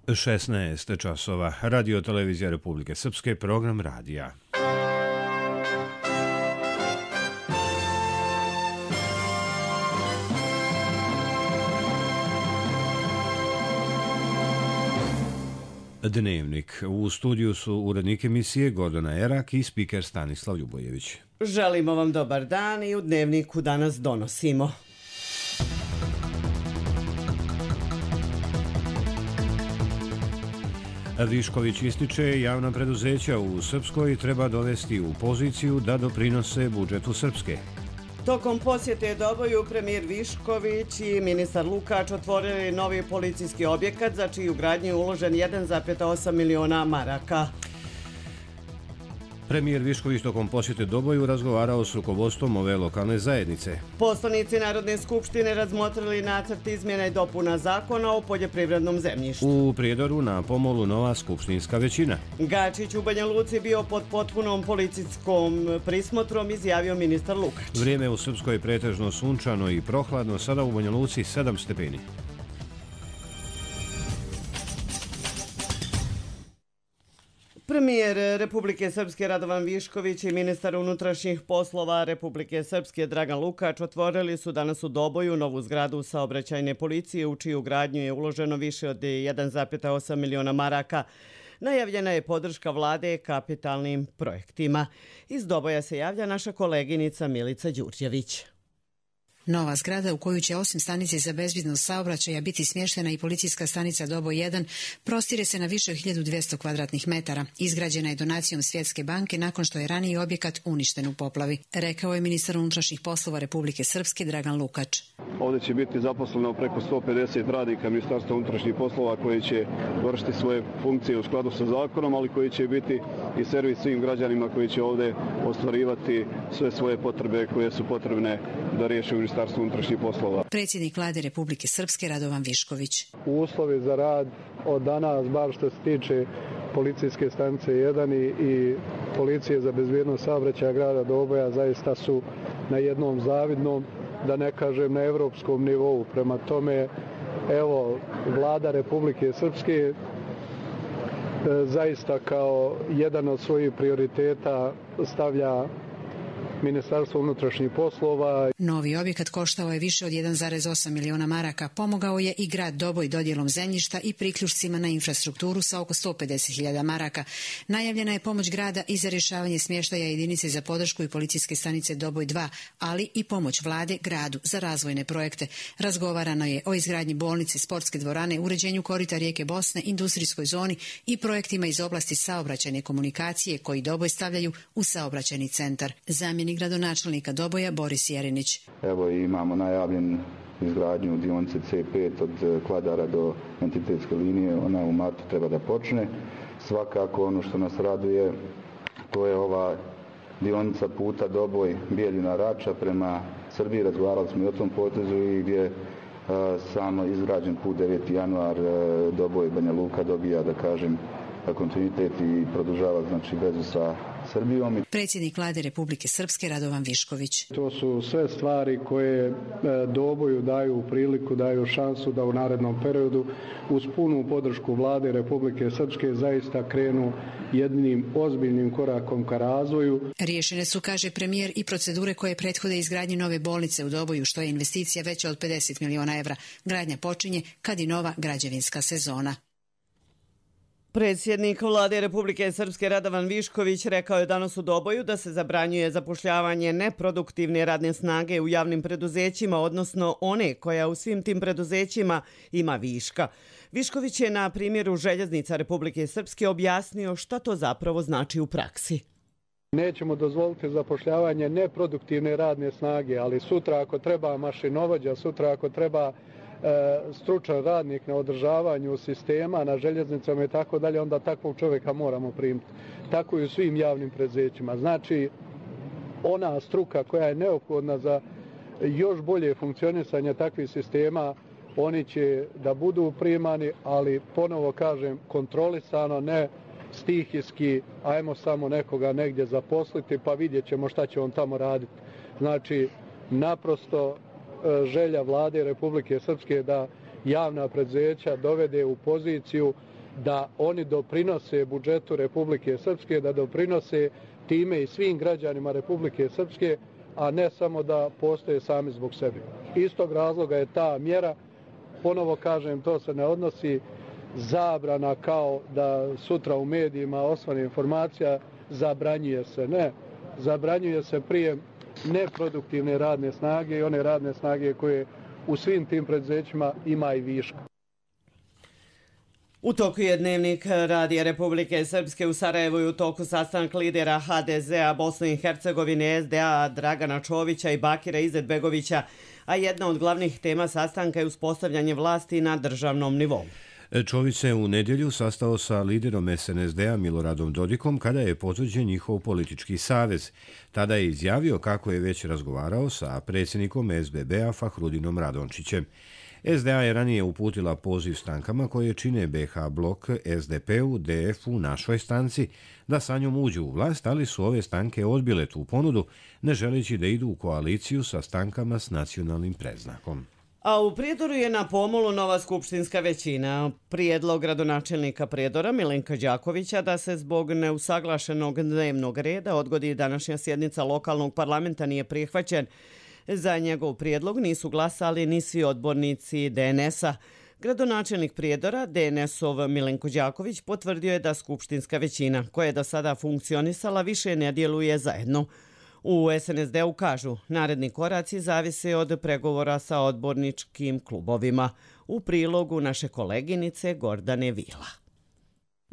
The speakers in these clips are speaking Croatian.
16 časova. Radio televizija Republike Srpske, program radija. Dnevnik. U studiju su urednik emisije Gordana Erak i spiker Stanislav Ljubojević. Želimo vam dobar dan i u Dnevniku danas donosimo. Višković ističe, javna preduzeća u Srpskoj treba dovesti u poziciju da doprinose budžetu Srpske. Tokom posjete Doboju premijer Višković i ministar Lukač otvorili novi policijski objekat za čiju gradnju je uložen 1,8 miliona maraka. Premijer Višković tokom posjete Doboju razgovarao s rukovodstvom ove lokalne zajednice. Poslanici Narodne skupštine razmotrili nacrt izmjena i dopuna zakona o poljoprivrednom zemljištu. U Prijedoru na pomolu nova skupštinska većina. Gačić u Banja Luci bio pod potpunom policijskom prismotrom, izjavio ministar Lukač. Vrijeme u Srpskoj je pretežno sunčano i prohladno, sada u Banja Luci 7 stepeni. Premijer Republike Srpske Radovan Višković i ministar unutrašnjih poslova Republike Srpske Dragan Lukač otvorili su danas u Doboju novu zgradu saobraćajne policije u čiju gradnju je uloženo više od 1,8 miliona maraka. Najavljena je podrška vlade kapitalnim projektima. Iz Doboja se javlja naša koleginica Milica Đurđević. Nova zgrada u koju će osim stanice za bezbednost saobraćaja biti smještena i policijska stanica Doboj 1 prostire se na više od 1200 kvadratnih metara. Izgrađena je donacijom Svjetske banke nakon što je raniji objekat uništen u poplavi, rekao je ministar unutrašnjih poslova Republike Srpske Dragan Lukač. Ovdje će biti zaposleno preko 150 radnika Ministarstva unutrašnjih poslova koji će vršiti svoje funkcije u skladu sa zakonom, ali koji će biti i servis svim građanima koji će ovdje ostvarivati sve svoje potrebe koje su potrebne da riješe Ministarstvo unutrašnjih poslova. Predsjednik vlade Republike Srpske Radovan Višković. Uslovi za rad od danas, bar što se tiče policijske stanice 1 i policije za bezbjednost saobraćaja grada Doboja, zaista su na jednom zavidnom, da ne kažem na evropskom nivou. Prema tome, evo, vlada Republike Srpske zaista kao jedan od svojih prioriteta stavlja Ministarstvo unutrašnjih poslova. Novi objekat koštao je više od 1,8 miliona maraka. Pomogao je i grad Doboj dodjelom zemljišta i priključcima na infrastrukturu sa oko 150.000 maraka. Najavljena je pomoć grada i za rješavanje smještaja jedinice za podršku i policijske stanice Doboj 2, ali i pomoć vlade gradu za razvojne projekte. Razgovarano je o izgradnji bolnice, sportske dvorane, uređenju korita rijeke Bosne, industrijskoj zoni i projektima iz oblasti saobraćajne komunikacije koji Doboj stavljaju u saobraćajni centar. Zamjenik gradonačelnika Doboja Boris Jerinić. Evo imamo najavljen izgradnju dionice C5 od Kladara do entitetske linije, ona u martu treba da počne. Svakako ono što nas raduje, to je ova dionica puta Doboj Bijeljina Rača prema Srbiji. Razgovarali smo i o tom potezu i gdje samo izgrađen put 9. januar Doboj Banja Luka dobija, da kažem, kontinuitet i produžava znači vezu sa Srbijom. Predsjednik vlade Republike Srpske Radovan Višković. To su sve stvari koje Doboju daju priliku, daju šansu da u narednom periodu uz punu podršku vlade Republike Srpske zaista krenu jednim ozbiljnim korakom ka razvoju. Riješene su, kaže premijer, i procedure koje prethode izgradnji nove bolnice u Doboju, što je investicija veća od 50 miliona evra. Gradnja počinje kad i nova građevinska sezona. Predsjednik vlade Republike Srpske Radovan Višković rekao je danas u Doboju da se zabranjuje zapošljavanje neproduktivne radne snage u javnim preduzećima, odnosno one koja u svim tim preduzećima ima viška. Višković je na primjeru željeznica Republike Srpske objasnio šta to zapravo znači u praksi. Nećemo dozvoliti zapošljavanje neproduktivne radne snage, ali sutra ako treba mašinovođa, sutra ako treba stručan radnik na održavanju sistema, na željeznicama i tako dalje, onda takvog čovjeka moramo primiti. Tako i u svim javnim preduzećima. Znači, ona struka koja je neophodna za još bolje funkcionisanje takvih sistema, oni će da budu primani, ali ponovo kažem, kontrolisano, ne stihijski, ajmo samo nekoga negdje zaposliti pa vidjet ćemo šta će on tamo raditi. Znači, naprosto želja vlade Republike Srpske da javna preduzeća dovede u poziciju da oni doprinose budžetu Republike Srpske, da doprinose time i svim građanima Republike Srpske, a ne samo da postoje sami zbog sebe. Iz tog razloga je ta mjera, ponovo kažem, to se ne odnosi zabrana kao da sutra u medijima osvane informacija, zabranjuje se. Ne, zabranjuje se prijem neproduktivne radne snage i one radne snage koje u svim tim preduzećima ima i viška. U toku je Dnevnik Radija Republike Srpske u Sarajevu i u toku sastanak lidera HDZ-a Bosne i Hercegovine, SDA Dragana Čovića i Bakira Izetbegovića, a jedna od glavnih tema sastanka je uspostavljanje vlasti na državnom nivou. Čović se u nedjelju sastao sa liderom SNSD-a Miloradom Dodikom kada je potvrđen njihov politički savez. Tada je izjavio kako je već razgovarao sa predsjednikom SBB-a Fahrudinom Radončićem. SDA je ranije uputila poziv strankama koje čine BH blok SDP-u, DF-u, našoj stranci, da sa njom uđu u vlast, ali su ove stranke odbile tu ponudu, ne želeći da idu u koaliciju sa strankama s nacionalnim predznakom. A u Prijedoru je na pomolu nova skupštinska većina. Prijedlog gradonačelnika Prijedora Milenka Đakovića da se zbog neusaglašenog dnevnog reda odgodi današnja sjednica lokalnog parlamenta nije prihvaćen. Za njegov prijedlog nisu glasali ni svi odbornici DNS-a. Gradonačelnik Prijedora, DNS-ov Milenko Đaković, potvrdio je da skupštinska većina, koja je do sada funkcionisala, više ne djeluje zajedno. U SNSD-u kažu, naredni koraci zavise od pregovora sa odborničkim klubovima. U prilogu naše koleginice Gordane Vila.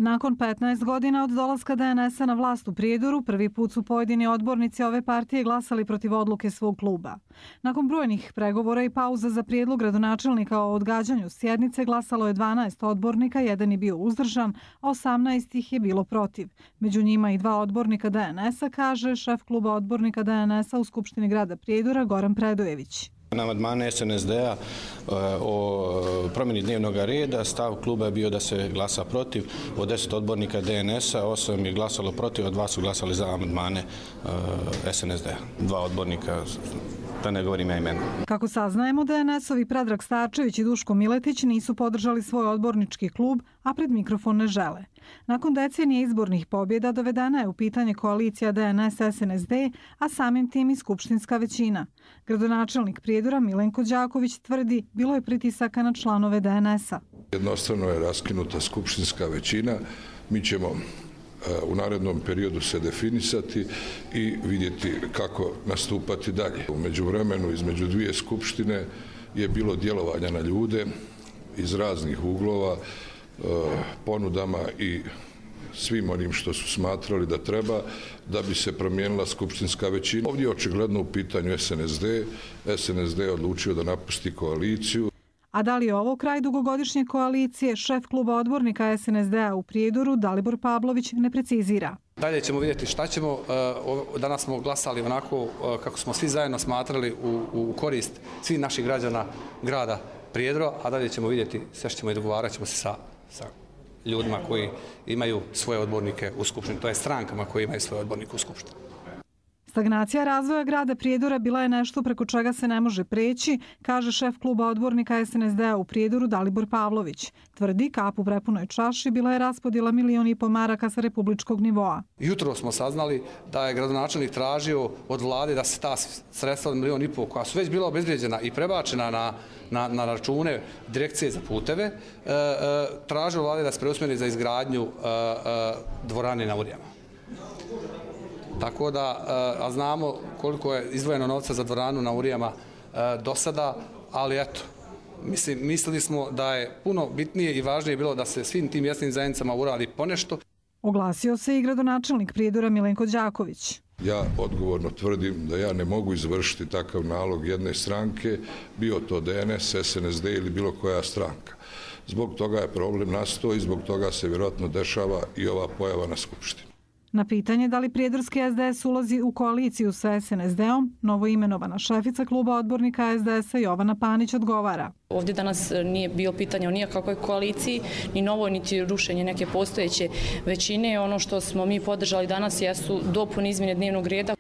Nakon 15 godina od dolaska DNS-a na vlast u Prijedoru, prvi put su pojedini odbornici ove partije glasali protiv odluke svog kluba. Nakon brojnih pregovora i pauza za prijedlog gradonačelnika o odgađanju sjednice glasalo je 12 odbornika, jedan je bio uzdržan, a 18 ih je bilo protiv. Među njima i 2 odbornika DNS-a, kaže šef kluba odbornika DNS-a u Skupštini grada Prijedora Goran Predojević. Na amandmane SNSD-a o promjeni dnevnog reda stav kluba je bio da se glasa protiv. Od 10 odbornika DNS-a 8 je glasalo protiv, a 2 su glasali za amandmane SNSD-a. 2 odbornika, da ne govorim ja imena. Kako saznajemo, DNS-ovi Predrag Starčević i Duško Miletić nisu podržali svoj odbornički klub, a pred mikrofon ne žele. Nakon decenije izbornih pobjeda dovedena je u pitanje koalicija DNS-SNSD, a samim tim i skupštinska većina. Gradonačelnik Prijedora Milenko Đaković tvrdi bilo je pritisaka na članove DNS-a. Jednostavno je raskinuta skupštinska većina. Mi ćemo u narednom periodu se definisati i vidjeti kako nastupati dalje. U međuvremenu između dvije skupštine je bilo djelovanja na ljude iz raznih uglova, ponudama i svim onim što su smatrali da treba da bi se promijenila skupštinska većina. Ovdje je očigledno u pitanju SNSD. SNSD je odlučio da napusti koaliciju. A da li je ovo kraj dugogodišnje koalicije, šef kluba odbornika SNSD-a u Prijedoru Dalibor Pavlović ne precizira. Dalje ćemo vidjeti šta ćemo. Danas smo glasali onako kako smo svi zajedno smatrali u korist svih naših građana grada Prijedora, a dalje ćemo vidjeti, sve ćemo i dogovarat ćemo se sa ljudima koji imaju svoje odbornike u skupštini, to je strankama koji imaju svoje odbornike u skupštini. Stagnacija razvoja grada Prijedora bila je nešto preko čega se ne može preći, kaže šef kluba odbornika SNSD-a u Prijedoru Dalibor Pavlović. Tvrdi, kap u prepunoj čaši bila je raspodjela 1,5 miliona maraka sa republičkog nivoa. Jutro smo saznali da je gradonačelnik tražio od vlade da se ta sredstva od 1,5 miliona koja su već bila obezvrijeđena i prebačena na račune direkcije za puteve, tražio vlade da se preusmjeri za izgradnju dvorane na Urijama. Tako da, a znamo koliko je izdvojeno novca za dvoranu na Urijama do sada, ali eto, mislili smo da je puno bitnije i važnije bilo da se svim tim mjesnim zajednicama uradi ponešto. Oglasio se i gradonačelnik Prijedora Milenko Đaković. Ja odgovorno tvrdim da ja ne mogu izvršiti takav nalog jedne stranke, bio to DNS, SNSD ili bilo koja stranka. Zbog toga je problem nastao i zbog toga se vjerojatno dešava i ova pojava na skupštini. Na pitanje da li prijedorski SDS ulazi u koaliciju sa SNSD-om, novoimenovana šefica kluba odbornika SDS-a Jovana Panić odgovara. Ovdje danas nije bio pitanje o nijakakvoj koaliciji, ni novoj, niti rušenje neke postojeće većine. Ono što smo mi podržali danas jesu dopune izmjene dnevnog reda.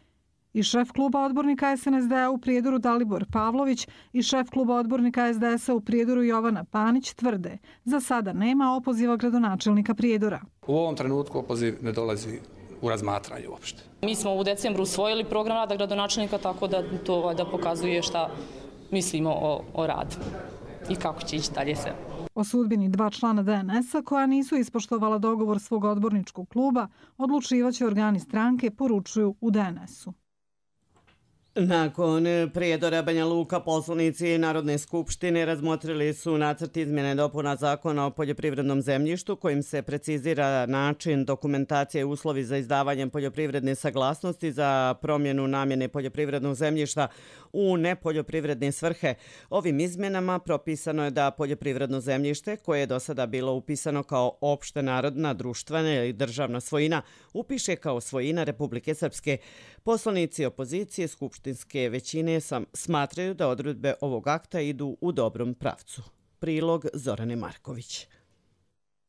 I šef kluba odbornika SNSD-a u Prijedoru Dalibor Pavlović i šef kluba odbornika SDS-a u Prijedoru Jovana Panić tvrde za sada nema opoziva gradonačelnika Prijedora. U ovom trenutku opoziv ne dolazi u razmatranje uopšte. Mi smo u decembru usvojili program rada gradonačelnika, tako da to da pokazuje šta mislimo o radu i kako će ići dalje sve. O sudbini 2 člana DNS-a koja nisu ispoštovala dogovor svog odborničkog kluba odlučivaće organi stranke, poručuju u DNS-u. Nakon Prijedora Banja Luka, poslanici Narodne skupštine razmotrili su nacrt izmjene dopuna Zakona o poljoprivrednom zemljištu kojim se precizira način dokumentacije i uslovi za izdavanje poljoprivredne saglasnosti za promjenu namjene poljoprivrednog zemljišta u nepoljoprivredne svrhe. Ovim izmjenama propisano je da poljoprivredno zemljište koje je do sada bilo upisano kao opšte narodna, društvena ili državna svojina upiše kao svojina Republike Srpske. Poslanici opozicije skupštinske većine smatraju da odredbe ovog akta idu u dobrom pravcu. Prilog Zorane Marković.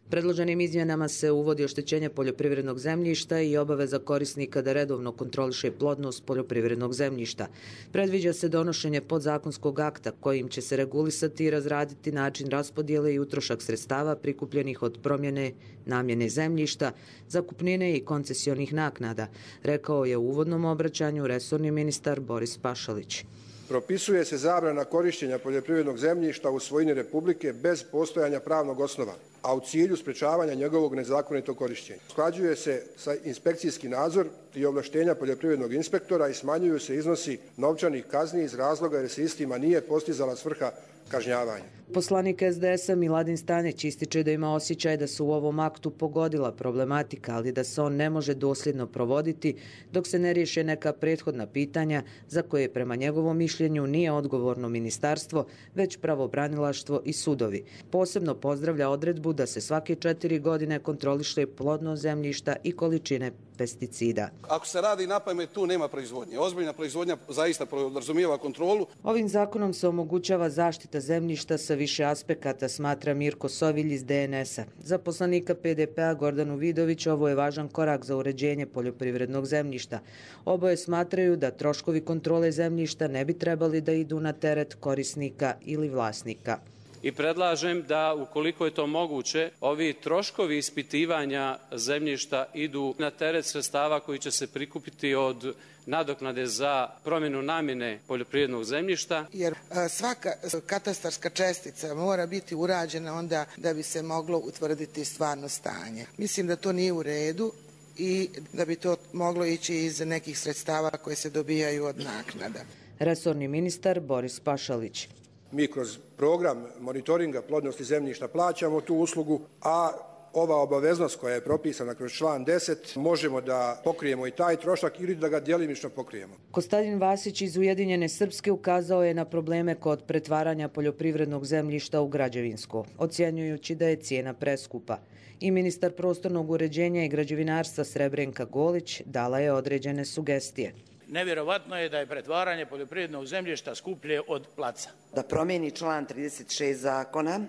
Predloženim izmjenama se uvodi oštećenje poljoprivrednog zemljišta i obaveza korisnika da redovno kontroliše plodnost poljoprivrednog zemljišta. Predviđa se donošenje podzakonskog akta kojim će se regulisati i razraditi način raspodjele i utrošak sredstava prikupljenih od promjene namjene zemljišta, zakupnine i koncesionih naknada, rekao je u uvodnom obraćanju resorni ministar Boris Pašalić. Propisuje se zabrana korištenja poljoprivrednog zemljišta u svojini Republike bez postojanja pravnog osnova, a u cilju sprečavanja njegovog nezakonitog korištenja. Usklađuje se sa inspekcijski nadzor i ovlaštenja poljoprivrednog inspektora i smanjuju se iznosi novčanih kazni iz razloga jer se istima nije postizala svrha kažnjavanja. Poslanik SDS-a Miladin Stanić ističe da ima osjećaj da se u ovom aktu pogodila problematika, ali da se on ne može dosljedno provoditi dok se ne riješe neka prethodna pitanja za koje prema njegovom mišljenju nije odgovorno ministarstvo, već pravobranilaštvo i sudovi. Posebno pozdravlja odredbu da se svake 4 godine kontroliše plodnost zemljišta i količine pesticida. Ako se radi na pamet, tu nema proizvodnje. Ozbiljna proizvodnja zaista podrazumijeva kontrolu. Ovim zakonom se omogućava zaštita zemljišta sa više aspekata, smatra Mirko Sovilj iz DNS-a. Za poslanika PDP-a Gordanu Vidović ovo je važan korak za uređenje poljoprivrednog zemljišta. Oboje smatraju da troškovi kontrole zemljišta ne bi trebali da idu na teret korisnika ili vlasnika. I predlažem da, ukoliko je to moguće, ovi troškovi ispitivanja zemljišta idu na teret sredstava koji će se prikupiti od nadoknade za promjenu namjene poljoprivrednog zemljišta. Jer svaka katastarska čestica mora biti urađena onda da bi se moglo utvrditi stvarno stanje. Mislim da to nije u redu i da bi to moglo ići iz nekih sredstava koje se dobijaju od naknada. Resorni ministar Boris Pašalić. Mi kroz program monitoringa plodnosti zemljišta plaćamo tu uslugu, a ova obaveznost koja je propisana kroz član 10 možemo da pokrijemo i taj trošak ili da ga djelimično pokrijemo. Kostadin Vasić iz Ujedinjene Srpske ukazao je na probleme kod pretvaranja poljoprivrednog zemljišta u građevinsko, ocjenjujući da je cijena preskupa. I ministar prostornog uređenja i građevinarstva Srebrenka Golić dala je određene sugestije. Nevjerovatno je da je pretvaranje poljoprivrednog zemljišta skuplje od placa. Da promijeni član 36 zakona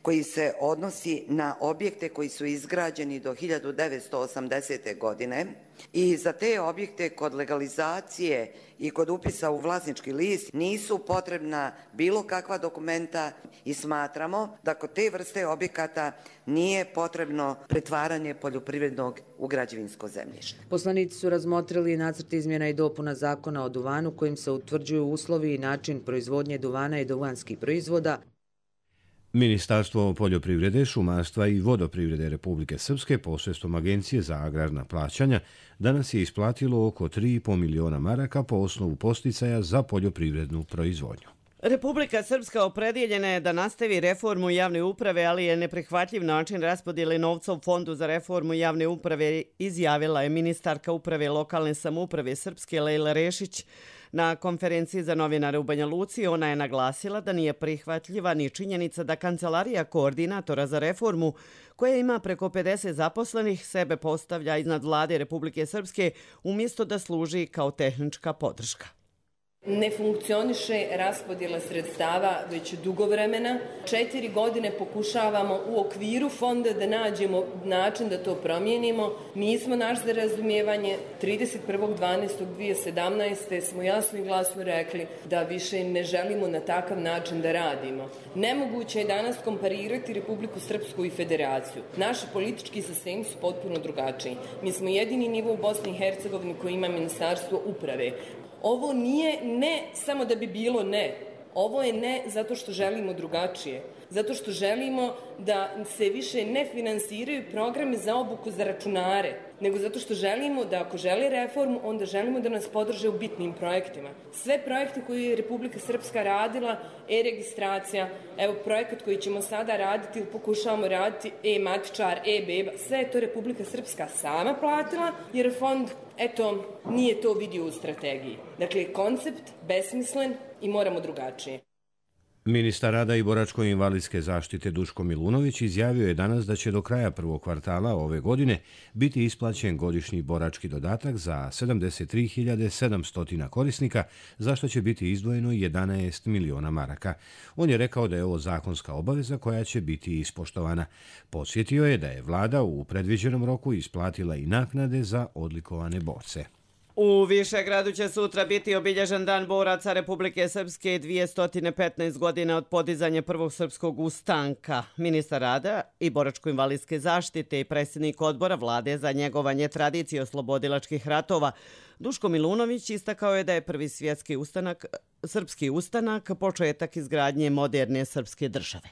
koji se odnosi na objekte koji su izgrađeni do 1980. godine i za te objekte kod legalizacije i kod upisa u vlasnički list nisu potrebna bilo kakva dokumenta i smatramo da kod te vrste objekata nije potrebno pretvaranje poljoprivrednog u građevinsko zemljište. Poslanici su razmotrili nacrt izmjena i dopuna zakona o duvanu kojim se utvrđuju uslovi i način proizvodnje duvana i duvanskih proizvoda. Ministarstvo poljoprivrede, šumarstva i vodoprivrede Republike Srpske posredstvom Agencije za agrarna plaćanja danas je isplatilo oko 3,5 miliona maraka po osnovu podsticaja za poljoprivrednu proizvodnju. Republika Srpska opredjeljena je da nastavi reformu javne uprave, ali je neprihvatljiv način raspodjele novca u Fondu za reformu javne uprave, izjavila je ministarka uprave lokalne samouprave Srpske Lejla Rešić. Na konferenciji za novinare u Banja Luci ona je naglasila da nije prihvatljiva ni činjenica da Kancelarija koordinatora za reformu, koja ima preko 50 zaposlenih, sebe postavlja iznad vlade Republike Srpske umjesto da služi kao tehnička podrška. Ne funkcioniše raspodjela sredstava već dugo vremena. 4 godine pokušavamo u okviru fonda da nađemo način da to promijenimo. Nismo naš za razumijevanje. 31.12.2017. smo jasno i glasno rekli da više ne želimo na takav način da radimo. Nemoguće je danas komparirati Republiku Srpsku i Federaciju. Naši politički sistemi su potpuno drugačiji. Mi smo jedini nivo u Bosni i Hercegovini koji ima Ministarstvo uprave. Ovo nije ne samo da bi bilo ne. Ovo je ne zato što želimo drugačije. Zato što želimo da se više ne finansiraju programi za obuku za računare, nego zato što želimo da ako žele reformu, onda želimo da nas podrže u bitnim projektima. Sve projekte koje je Republika Srpska radila, e-registracija, evo projekat koji ćemo sada raditi ili pokušavamo raditi, e-matičar, e-beba, sve je to Republika Srpska sama platila, jer fond, eto, nije to vidio u strategiji. Dakle, koncept besmislen i moramo drugačije. Ministar rada i boračko-invalidske zaštite Duško Milunović izjavio je danas da će do kraja prvog kvartala ove godine biti isplaćen godišnji borački dodatak za 73.700 korisnika, za što će biti izdvojeno 11 miliona maraka. On je rekao da je ovo zakonska obaveza koja će biti ispoštovana. Podsjetio je da je vlada u predviđenom roku isplatila i naknade za odlikovane borce. U Višegradu će sutra biti obilježen Dan boraca Republike Srpske 215 godina od podizanja prvog srpskog ustanka. Ministar rada i boračko-invalidske zaštite i predsjednik odbora vlade za njegovanje tradicije oslobodilačkih ratova Duško Milunović istakao je da je prvi svjetski srpski ustanak početak izgradnje moderne srpske države.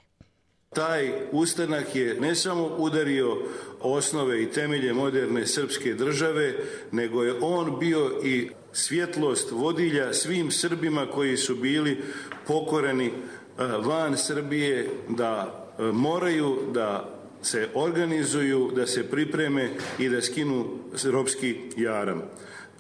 Taj ustanak je ne samo udario osnove i temelje moderne srpske države, nego je on bio i svjetlost vodilja svim Srbima koji su bili pokoreni van Srbije, da moraju da se organizuju, da se pripreme i da skinu ropski jaram.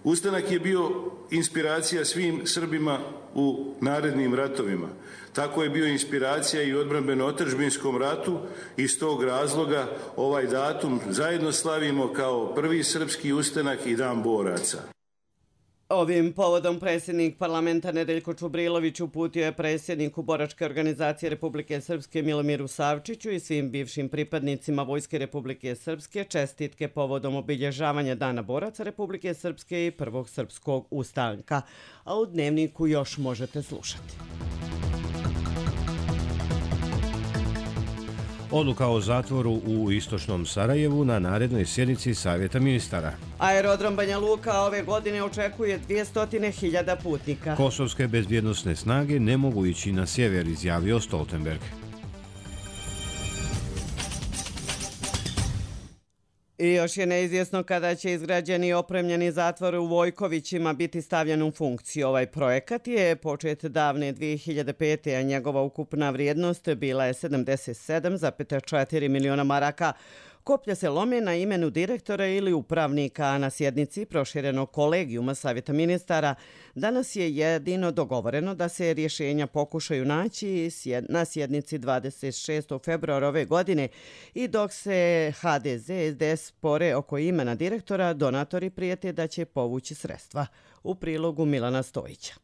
Ustanak je bio inspiracija svim Srbima u narednim ratovima. Tako je bio inspiracija i u odbrambeno-otadžbinskom ratu. Iz tog razloga ovaj datum zajedno slavimo kao prvi srpski ustanak i Dan boraca. Ovim povodom predsjednik parlamenta Nedeljko Čubrilović uputio je predsjedniku Boračke organizacije Republike Srpske Milomiru Savčiću i svim bivšim pripadnicima Vojske Republike Srpske čestitke povodom obilježavanja Dana boraca Republike Srpske i prvog srpskog ustanka. A u Dnevniku još možete slušati. Odluka o zatvoru u istočnom Sarajevu na narednoj sjednici Savjeta ministara. Aerodrom Banja Luka ove godine očekuje 200.000 putnika. Kosovske bezbjednosne snage ne mogu ići na sjever, izjavio Stoltenberg. I još je neizvjesno kada će izgrađeni i opremljeni zatvor u Vojkovićima biti stavljen u funkciju. Ovaj projekat je počet davne 2005. a njegova ukupna vrijednost bila je 77,4 miliona maraka. Koplja se lome na imenu direktora ili upravnika, a na sjednici proširenog kolegijuma Savjeta ministara danas je jedino dogovoreno da se rješenja pokušaju naći na sjednici 26. februara ove godine i dok se HDZ SDS spore oko imena direktora, donatori prijete da će povući sredstva. U prilogu Milana Stojića.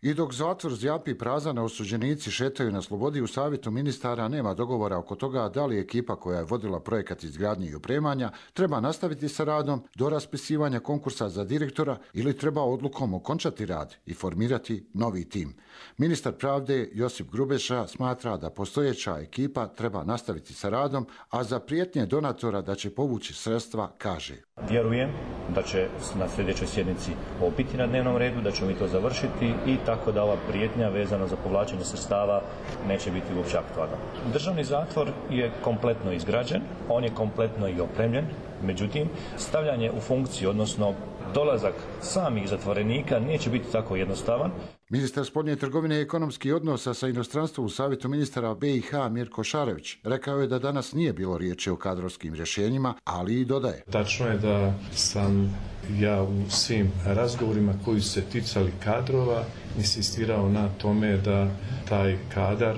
I dok zatvor zjapi prazan, a osuđenici šetaju na slobodi, u Savjetu ministara nema dogovora oko toga da li ekipa koja je vodila projekat izgradnje i opremanja treba nastaviti sa radom do raspisivanja konkursa za direktora ili treba odlukom okončati rad i formirati novi tim. Ministar pravde Josip Grubeša smatra da postojeća ekipa treba nastaviti sa radom, a za prijetnje donatora da će povući sredstva kaže: Vjerujem da će na sljedećoj sjednici ovo biti na dnevnom redu, da ćemo mi to završiti i tako da ova prijetnja vezana za povlačenje sredstava neće biti uopće aktualna. Državni zatvor je kompletno izgrađen, on je kompletno i opremljen, međutim stavljanje u funkciju, odnosno dolazak samih zatvorenika neće biti tako jednostavan. Ministar spoljne trgovine i ekonomskih odnosa sa inostranstvom u Savjetu ministara BiH Mirko Šarević rekao je da danas nije bilo riječi o kadrovskim rješenjima, ali i dodaje: Tačno je da sam ja u svim razgovorima koji su se ticali kadrova insistirao na tome da taj kadar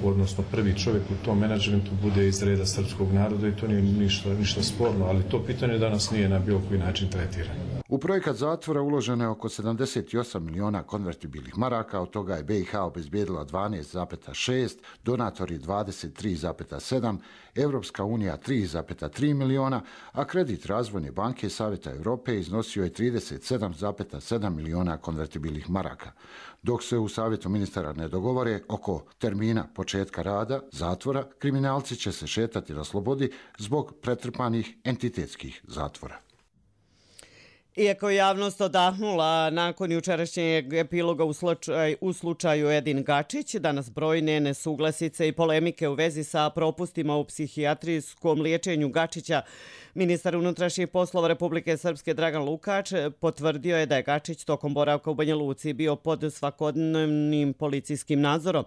odnosno prvi čovjek u tom menadžmentu bude iz reda srpskog naroda i to nije ništa sporno, ali to pitanje danas nije na bilo koji način tretirano. U projekat zatvora uloženo je oko 78 miliona konvertibilnih maraka, od toga je BiH obezbijedila 12,6, donatori 23,7, Evropska unija 3,3 miliona, a kredit Razvojne banke Savjeta Europe iznosio je 37,7 miliona konvertibilnih maraka. Dok se u Savjetu ministara ne dogovore oko termina početka rada zatvora, kriminalci će se šetati na slobodi zbog pretrpanih entitetskih zatvora. Iako je javnost odahnula nakon jučerašnjeg epiloga u slučaju Edin Gačić, danas brojne nesuglasice i polemike u vezi sa propustima u psihijatrijskom liječenju Gačića, ministar unutrašnjih poslova Republike Srpske Dragan Lukač potvrdio je da je Gačić tokom boravka u Banja Luci bio pod svakodnevnim policijskim nadzorom.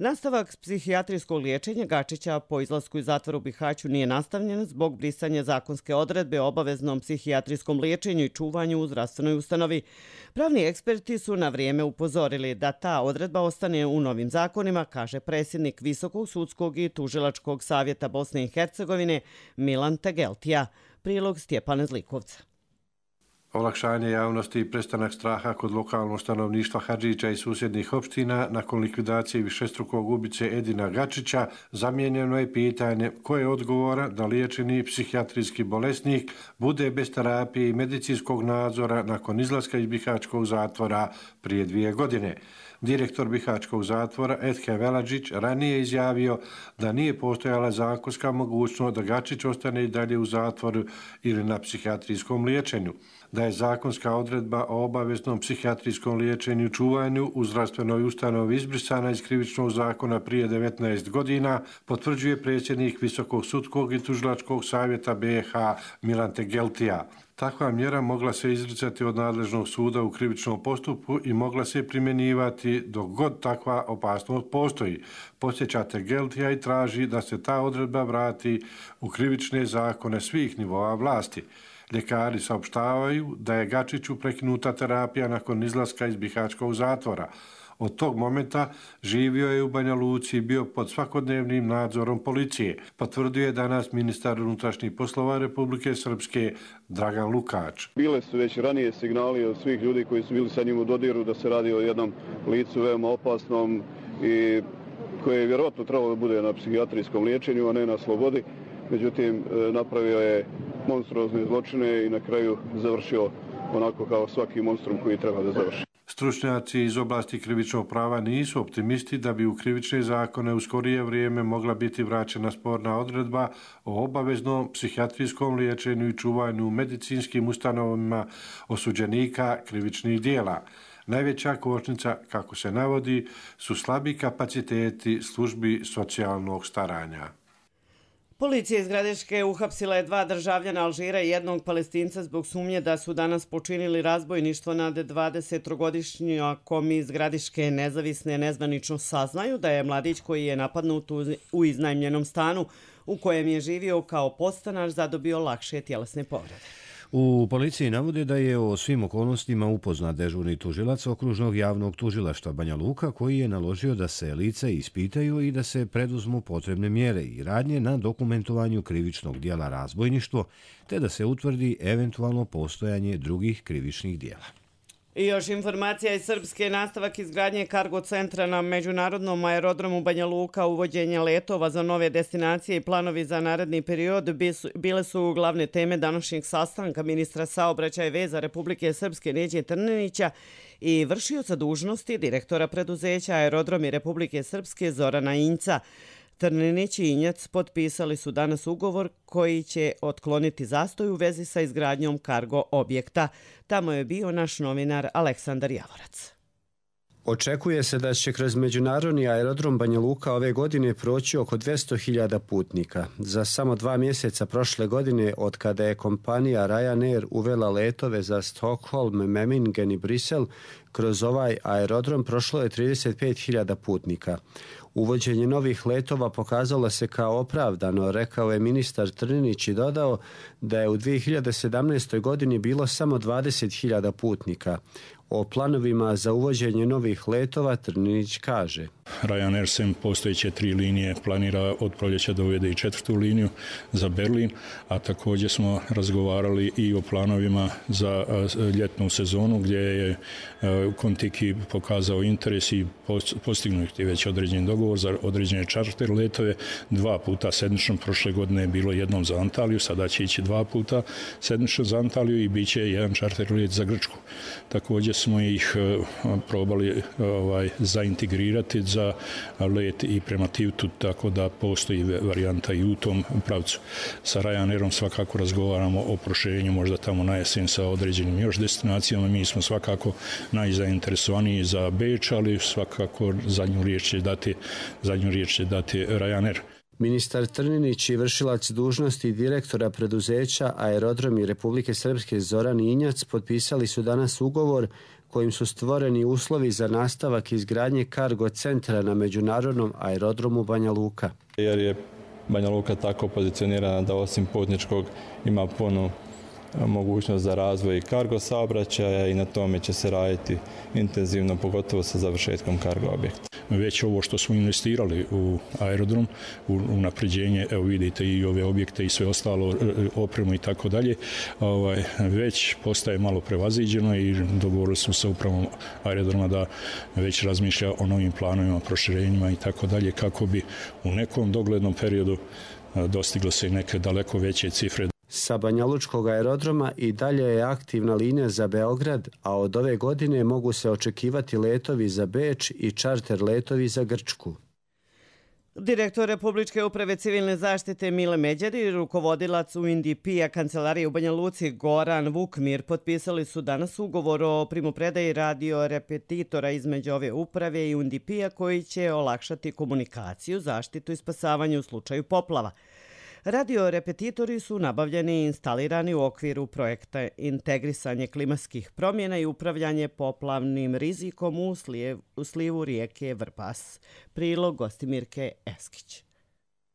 Nastavak psihijatrijskog liječenja Gačića po izlasku iz zatvora u Bihaću nije nastavljen zbog brisanja zakonske odredbe o obaveznom psihijatrijskom liječenju i čuvanju u zdravstvenoj ustanovi. Pravni eksperti su na vrijeme upozorili da ta odredba ostane u novim zakonima, kaže predsjednik Visokog sudskog i tužilačkog savjeta Bosne i Hercegovine Milan Tegeltija. Prilog Stjepana Zlikovca. Olakšanje javnosti i prestanak straha kod lokalnog stanovništva Hadžića i susjednih opština nakon likvidacije višestrukog ubice Edina Gačića zamijenjeno je pitanje ko je odgovoran da liječeni psihijatrijski bolesnik bude bez terapije i medicinskog nadzora nakon izlaska iz Bihaćkog zatvora prije 2 godine. Direktor Bihaćkog zatvora Edhem Veladžić ranije izjavio da nije postojala zakonska mogućnost da Gačić ostane i dalje u zatvoru ili na psihijatrijskom liječenju. Da je zakonska odredba o obaveznom psihijatrijskom liječenju i čuvanju u zdravstvenoj ustanovi izbrisana iz krivičnog zakona prije 19 godina, potvrđuje predsjednik Visokog sudskog i tužilačkog savjeta BiH Milan Tegeltija. Takva mjera mogla se izricati od nadležnog suda u krivičnom postupku i mogla se primjenjivati dok god takva opasnost postoji. Podsjeća Tegeltija i traži da se ta odredba vrati u krivične zakone svih nivoa vlasti. Ljekari saopštavaju da je Gačiću prekinuta terapija nakon izlaska iz Bihaćkog zatvora. Od tog momenta živio je u Banja Luci i bio pod svakodnevnim nadzorom policije, potvrdio je danas ministar unutrašnjih poslova Republike Srpske Dragan Lukač. Bile su već ranije signali od svih ljudi koji su bili sa njim u dodiru da se radi o jednom licu veoma opasnom i koje je vjerojatno trebalo da bude na psihijatrijskom liječenju, a ne na slobodi. Međutim, napravio je monstruozne zločine i na kraju završio onako kao svaki monstrum koji treba da završi. Stručnjaci iz oblasti krivičnog prava nisu optimisti da bi u krivične zakone u skorije vrijeme mogla biti vraćena sporna odredba o obaveznom psihijatrijskom liječenju i čuvanju u medicinskim ustanovama osuđenika krivičnih dijela. Najveća kočnica, kako se navodi, su slabi kapaciteti službi socijalnog staranja. Policija iz Gradiške uhapsila je 2 državljana Alžira i 1 Palestinca zbog sumnje da su danas počinili razbojništvo nad 20-godišnjakom iz Gradiške. Nezavisne nezvanično saznaju da je mladić koji je napadnut u iznajmljenom stanu u kojem je živio kao podstanar zadobio lakše tjelesne povrede. U policiji navode da je o svim okolnostima upoznat dežurni tužilac okružnog javnog tužilaštva Banja Luka koji je naložio da se lica ispitaju i da se preduzmu potrebne mjere i radnje na dokumentovanju krivičnog dijela razbojništvo te da se utvrdi eventualno postojanje drugih krivičnih dijela. I još informacija iz Srpske, nastavak izgradnje kargo centra na međunarodnom aerodromu Banja Luka, uvođenje letova za nove destinacije i planovi za naredni period bile su glavne teme današnjeg sastanka ministra saobraćaja i veza Republike Srpske Neđe Trninića i vršioca dužnosti direktora preduzeća Aerodromi Republike Srpske Zorana Injca. Trninić i Injac potpisali su danas ugovor koji će otkloniti zastoj u vezi sa izgradnjom kargo objekta. Tamo je bio naš novinar Aleksandar Javorac. Očekuje se da će kroz međunarodni aerodrom Banja Luka ove godine proći oko 200.000 putnika. Za samo 2 mjeseca prošle godine, od kada je kompanija Ryanair uvela letove za Stockholm, Memmingen i Brisel, kroz ovaj aerodrom prošlo je 35.000 putnika. Uvođenje novih letova pokazalo se kao opravdano, rekao je ministar Trninić i dodao da je u 2017. godini bilo samo 20.000 putnika. O planovima za uvođenje novih letova Trninić kaže: Ryanair sem postojeće 3 linije planira od proljeća da uvede i 4. liniju za Berlin, a također smo razgovarali i o planovima za ljetnu sezonu gdje je Kontiki pokazao interes i postignuti već određen dogovor za određene čarter letove 2 puta sedmično. Prošle godine je bilo jednom za Antaliju, sada će ići 2 puta sedmično za Antaliju i bit će jedan čarter let za Grčku. Također smo ih probali zaintegrirati za let i prema Tivtu, tako da postoji varijanta i u tom pravcu. Sa Ryanairom svakako razgovaramo o proširenju možda tamo na jesen sa određenim još destinacijama. Mi smo svakako najzainteresovaniji za Beč, ali svakako zadnju riječ će dati Ryanair. Ministar Trninić i vršilac dužnosti direktora preduzeća Aerodromi Republike Srpske Zoran Injac potpisali su danas ugovor kojim su stvoreni uslovi za nastavak izgradnje kargo centra na međunarodnom aerodromu Banja Luka. Jer je Banja Luka tako pozicionirana da osim putničkog ima punu mogućnost za razvoj kargo saobraćaja i na tome će se raditi intenzivno, pogotovo sa završetkom kargo objekta. Već ovo što smo investirali u aerodrom, u napređenje, evo vidite i ove objekte i sve ostalo, opremu i tako dalje, već postaje malo prevaziđeno i dogovorili smo sa upravom aerodroma da već razmišlja o novim planovima, proširenjima i tako dalje, kako bi u nekom doglednom periodu dostiglo se i neke daleko veće cifre. Sa Banjalučkog aerodroma i dalje je aktivna linija za Beograd, a od ove godine mogu se očekivati letovi za Beč i čarter letovi za Grčku. Direktor Republičke uprave civilne zaštite Mile Međeri i rukovodilac UNDP-a Kancelarije u Banja Luci Goran Vukmir potpisali su danas ugovor o primopredaji radio repetitora između ove uprave i UNDP-a koji će olakšati komunikaciju, zaštitu i spasavanje u slučaju poplava. Radio repetitori su nabavljeni i instalirani u okviru projekta Integrisanje klimatskih promjena i upravljanje poplavnim rizikom u slivu rijeke Vrbas. Prilog Gostimirke Eskić.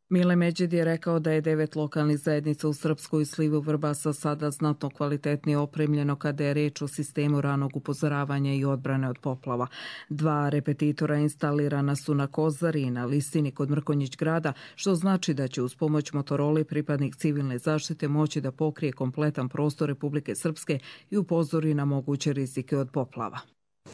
Mile Međed je rekao da je 9 lokalnih zajednica u Srpskoj slivu Vrbasa sada znatno kvalitetnije opremljeno kada je reč o sistemu ranog upozoravanja i odbrane od poplava. 2 repetitora instalirana su na Kozari i na Listini kod Mrkonjić grada, što znači da će uz pomoć Motorole pripadnik civilne zaštite moći da pokrije kompletan prostor Republike Srpske i upozori na moguće rizike od poplava.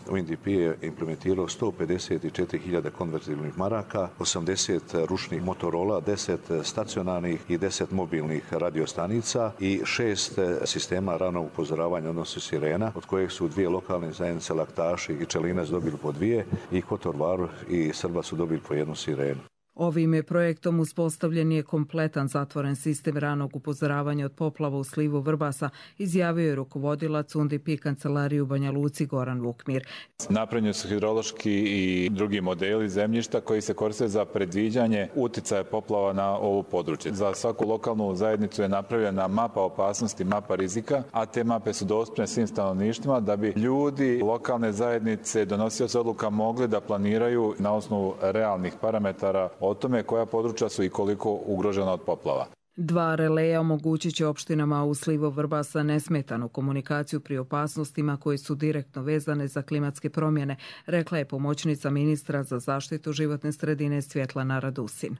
UNDP je implementirao 154.000 konvertibilnih maraka, 80 ručnih Motorola, 10 stacionarnih i 10 mobilnih radiostanica i 6 sistema ranog upozoravanja, odnosno sirena, od kojih su 2 lokalne zajednice Laktaši i Čelinac dobili po 2 i Kotor Varoš i Srba su dobili po 1 sirenu. Ovim je projektom uspostavljen je kompletan zatvoren sistem ranog upozoravanja od poplava u slivu Vrbasa, izjavio je rukovodilac UNDP Kancelarije u Banja Luci Goran Vukmir. Napravljeni su hidrološki i drugi modeli zemljišta koji se koriste za predviđanje uticaja poplava na ovo područje. Za svaku lokalnu zajednicu je napravljena mapa opasnosti, mapa rizika, a te mape su dostupne svim stanovništvima da bi ljudi lokalne zajednice, donosioci odluka, mogli da planiraju na osnovu realnih parametara o tome koja područja su i koliko ugrožena od poplava. 2 releja omogućit će opštinama u slivu Vrbasa nesmetanu komunikaciju pri opasnostima koje su direktno vezane za klimatske promjene, rekla je pomoćnica ministra za zaštitu životne sredine Svjetlana Radusin.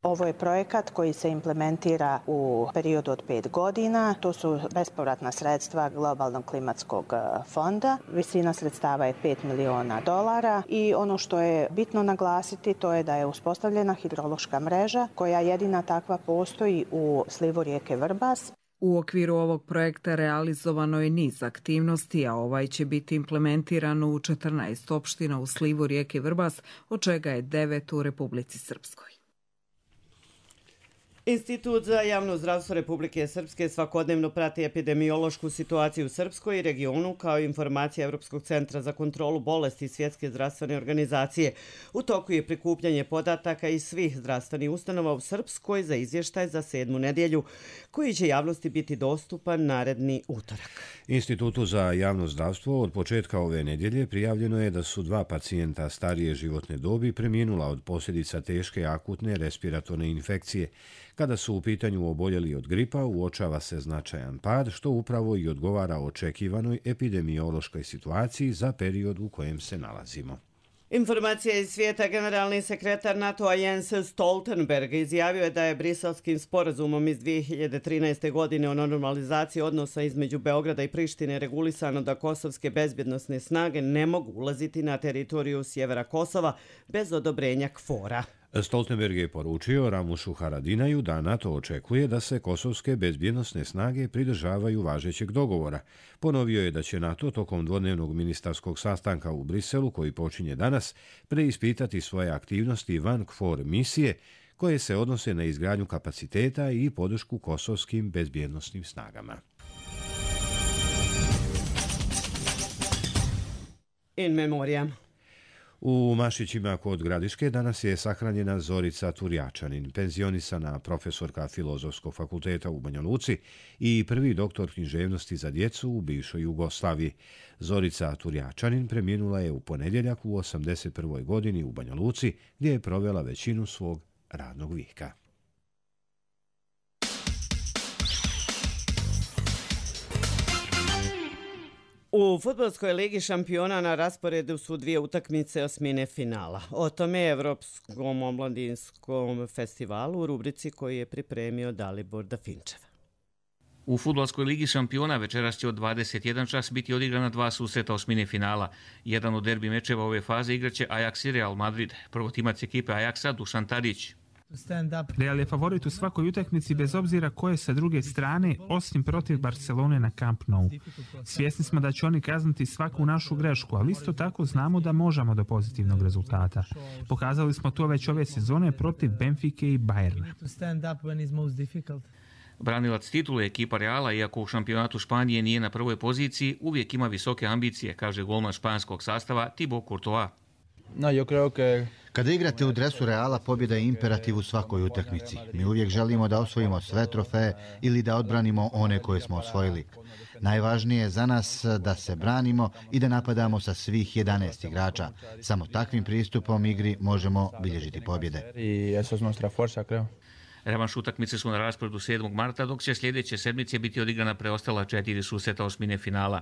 Ovo je projekat koji se implementira u periodu od 5 godina. To su bespovratna sredstva Globalnog klimatskog fonda. Visina sredstava je $5 miliona i ono što je bitno naglasiti to je da je uspostavljena hidrološka mreža koja jedina takva postoji u slivu rijeke Vrbas. U okviru ovog projekta realizovano je niz aktivnosti, a ovaj će biti implementiran u 14 opština u slivu rijeke Vrbas, od čega je 9 u Republici Srpskoj. Institut za javno zdravstvo Republike Srpske svakodnevno prati epidemiološku situaciju u Srpskoj i regionu kao informacija Evropskog centra za kontrolu bolesti i Svjetske zdravstvene organizacije. U toku je prikupljanje podataka iz svih zdravstvenih ustanova u Srpskoj za izvještaj za 7. nedjelju, koji će javnosti biti dostupan naredni utorak. Institutu za javno zdravstvo od početka ove nedjelje prijavljeno je da su 2 pacijenta starije životne dobi preminula od posljedica teške akutne respiratorne infekcije. Kada su u pitanju oboljeli od gripa, uočava se značajan pad, što upravo i odgovara očekivanoj epidemiološkoj situaciji za period u kojem se nalazimo. Informacija iz svijeta. Generalni sekretar NATO-a Jens Stoltenberg izjavio je da je Briselskim sporazumom iz 2013. godine o normalizaciji odnosa između Beograda i Prištine regulisano da kosovske bezbjednosne snage ne mogu ulaziti na teritoriju sjevera Kosova bez odobrenja KFOR-a. Stoltenberg je poručio Ramušu Haradinaju da NATO očekuje da se kosovske bezbjednosne snage pridržavaju važećeg dogovora. Ponovio je da će NATO tokom dvodnevnog ministarskog sastanka u Briselu, koji počinje danas, preispitati svoje aktivnosti van KFOR misije, koje se odnose na izgradnju kapaciteta i podršku kosovskim bezbjednosnim snagama. In memoriam. U Mašićima kod Gradiške danas je sahranjena Zorica Turjačanin, penzionisana profesorka Filozofskog fakulteta u Banja Luci i prvi doktor književnosti za djecu u bivšoj Jugoslaviji. Zorica Turjačanin preminula je u ponedjeljak u 81. godini u Banja Luci, gdje je provela većinu svog radnog vijeka. U Fudbalskoj ligi šampiona na rasporedu su dvije utakmice osmine finala. O tome Evropskom omladinskom festivalu u rubrici koju je pripremio Dalibor Dafinčev. U Fudbalskoj ligi šampiona večeras će od 21 čas biti odigrana dva susreta osmine finala. Jedan od derbi mečeva ove faze igraće Ajax i Real Madrid. Prvotimac ekipe Ajaxa Dušan Tadić. Real je favorit u svakoj utakmici bez obzira koje sa druge strane, osim protiv Barcelone na Camp Nou. Svjesni smo da će oni kazniti svaku našu grešku, ali isto tako znamo da možemo do pozitivnog rezultata. Pokazali smo to već ove sezone protiv Benfike i Bayerna. Branilac titule ekipa Reala, iako u šampionatu Španije nije na prvoj poziciji, uvijek ima visoke ambicije, kaže golman španskog sastava Thibaut Courtois. Kada igrate u dresu Reala, pobjeda je imperativ u svakoj utakmici. Mi uvijek želimo da osvojimo sve trofeje ili da odbranimo one koje smo osvojili. Najvažnije je za nas da se branimo i da napadamo sa svih 11 igrača. Samo takvim pristupom igri možemo bilježiti pobjede. Revanš utakmice su na rasporedu 7. marta, dok će sljedeće sedmice biti odigrana preostala 4 susreta osmine finala.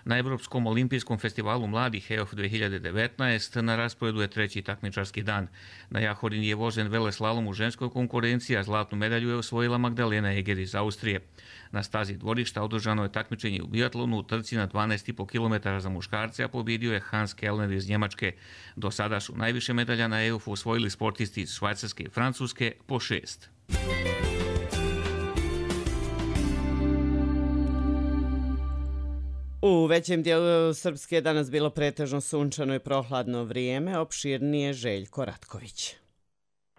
Na Evropskom olimpijskom festivalu mladih EOF 2019 na rasporedu je treći takmičarski dan. Na Jahorini je vožen veleslalom u ženskoj konkurenciji, a zlatnu medalju je osvojila Magdalena Eger iz Austrije. Na stazi dvorišta održano je takmičenje u biatlonu u trci na 12,5 km za muškarce, a pobjedio je Hans Kellner iz Njemačke. Do sada su najviše medalja na EOF osvojili sportisti iz Švajcarske i Francuske po 6. U većem dijelu Srpske danas bilo pretežno sunčano i prohladno vrijeme, opširnije Željko Ratković.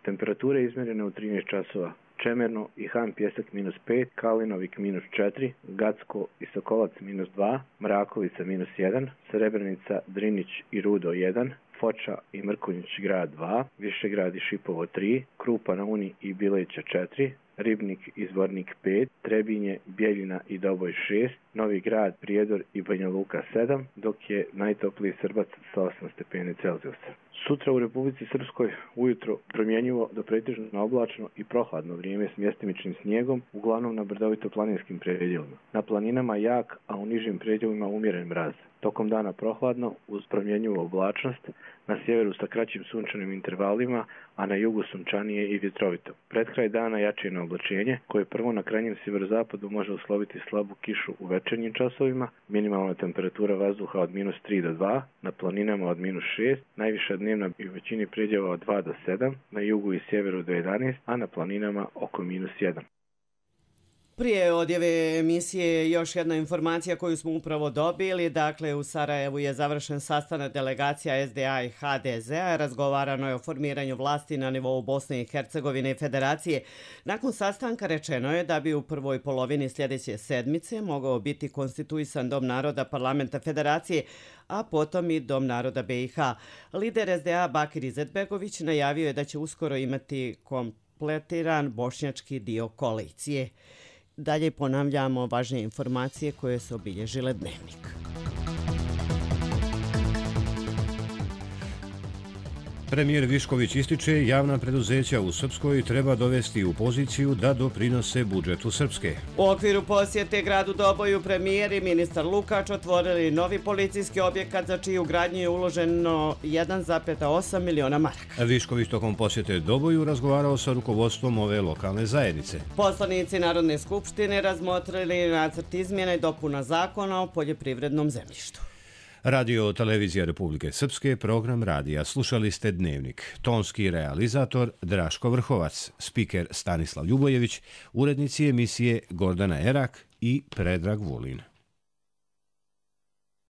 Temperature izmjerene u 13 časova. Čemerno i Han Pjesak -5, Kalinovik -4, Gacko i Sokolac -2, Mrakovica -1, Srebrenica, Drinić i Rudo 1, Foča i Mrkonjić grad 2, Višegrad i Šipovo 3, Krupa na Uni i Bileća 4, Ribnik i Zvornik 5, Trebinje, Bjeljina i Doboj 6, Novi Grad, Prijedor i Banja Luka 7, dok je najtopliji Srbac sa 8 stepeni Celzijusa. Sutra u Republici Srpskoj ujutro promjenjivo do pretežno oblačno i prohladno vrijeme s mjestimičnim snijegom, uglavnom na brdovito-planinskim predjelima. Na planinama jak, a u nižim predjelima umjeren mraz. Tokom dana prohladno uz promjenjivu oblačnost, na sjeveru sa kraćim sunčanim intervalima, a na jugu sunčanije i vjetrovito. Pred kraj dana jačino oblačenje, koje prvo na krajnjem sjeverozapadu može usloviti slabu kišu u večernjim časovima, minimalna temperatura vazduha od -3 do 2, na planinama od -6, najviša dnevna i u većini predjela od 2 do 7, na jugu i sjeveru do 11, a na planinama oko -1. Prije odjave emisije još jedna informacija koju smo upravo dobili. Dakle, u Sarajevu je završen sastanak delegacija SDA i HDZ-a. Razgovarano je o formiranju vlasti na nivou Bosne i Hercegovine i Federacije. Nakon sastanka rečeno je da bi u prvoj polovini sljedeće sedmice mogao biti konstituisan Dom naroda Parlamenta Federacije, a potom i Dom naroda BiH. Lider SDA Bakir Izetbegović najavio je da će uskoro imati kompletiran bošnjački dio koalicije. Dalje ponavljamo važnije informacije koje su obilježile dnevnik. Premijer Višković ističe javna preduzeća u Srpskoj treba dovesti u poziciju da doprinose budžetu Srpske. U okviru posjete gradu Doboju premijer i ministar Lukač otvorili novi policijski objekat za čiju gradnju je uloženo 1,8 miliona maraka. Višković tokom posjete Doboju razgovarao sa rukovodstvom ove lokalne zajednice. Poslanici Narodne skupštine razmotrili nacrt izmjena i dopuna zakona o poljoprivrednom zemljištu. Radio televizija Republike Srpske, program radija. Slušali ste Dnevnik. Tonski realizator Draško Vrhovac, spiker Stanislav Ljubojević, urednici emisije Gordana Erak i Predrag Vulin.